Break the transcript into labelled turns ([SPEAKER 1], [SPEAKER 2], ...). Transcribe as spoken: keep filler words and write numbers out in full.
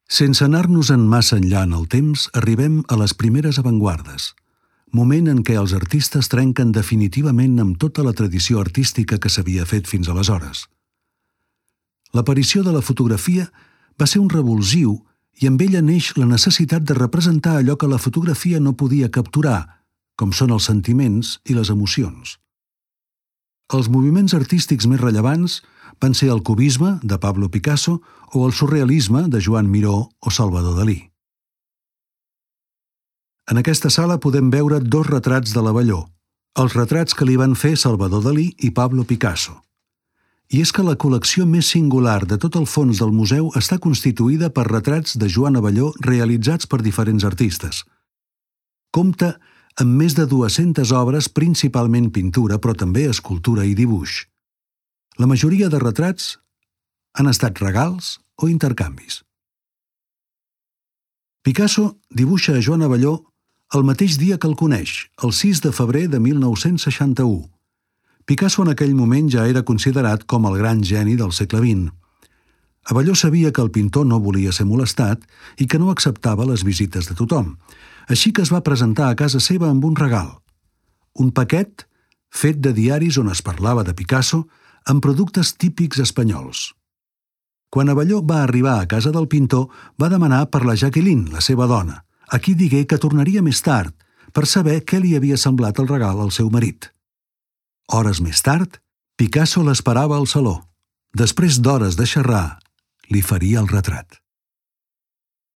[SPEAKER 1] Sense anar-nos-en massa enllà en el temps, arribem a les primeres avantguardes, moment en què els artistes trenquen definitivament amb tota la tradició artística que s'havia fet fins aleshores. L'aparició de la fotografia va ser un revulsiu i amb ella neix la necessitat de representar allò que la fotografia no podia capturar, com són els sentiments i les emocions. Els moviments artístics més rellevants van ser el cubisme, de Pablo Picasso, o el surrealisme, de Joan Miró o Salvador Dalí. En aquesta sala podem veure dos retrats de l'Abelló, els retrats que li van fer Salvador Dalí i Pablo Picasso. I és que la col·lecció més singular de tot el fons del museu està constituïda per retrats de Joan Abelló realitzats per diferents artistes. Compta amb més de dues-centes obres, principalment pintura, però també escultura i dibuix. La majoria de retrats han estat regals o intercanvis. Picasso dibuixa a Joan Abelló el mateix dia que el coneix, el sis de febrer de mil nou-cents seixanta-u. Picasso en aquell moment ja era considerat com el gran geni del segle vint. Abelló sabia que el pintor no volia ser molestat i que no acceptava les visites de tothom, així que es va presentar a casa seva amb un regal, un paquet fet de diaris on es parlava de Picasso amb productes típics espanyols. Quan Abelló va arribar a casa del pintor, va demanar per la Jacqueline, la seva dona, a qui digué que tornaria més tard per saber què li havia semblat el regal al seu marit. Hores més tard, Picasso l'esperava al saló. Després d'hores de xerrar, li faria el retrat.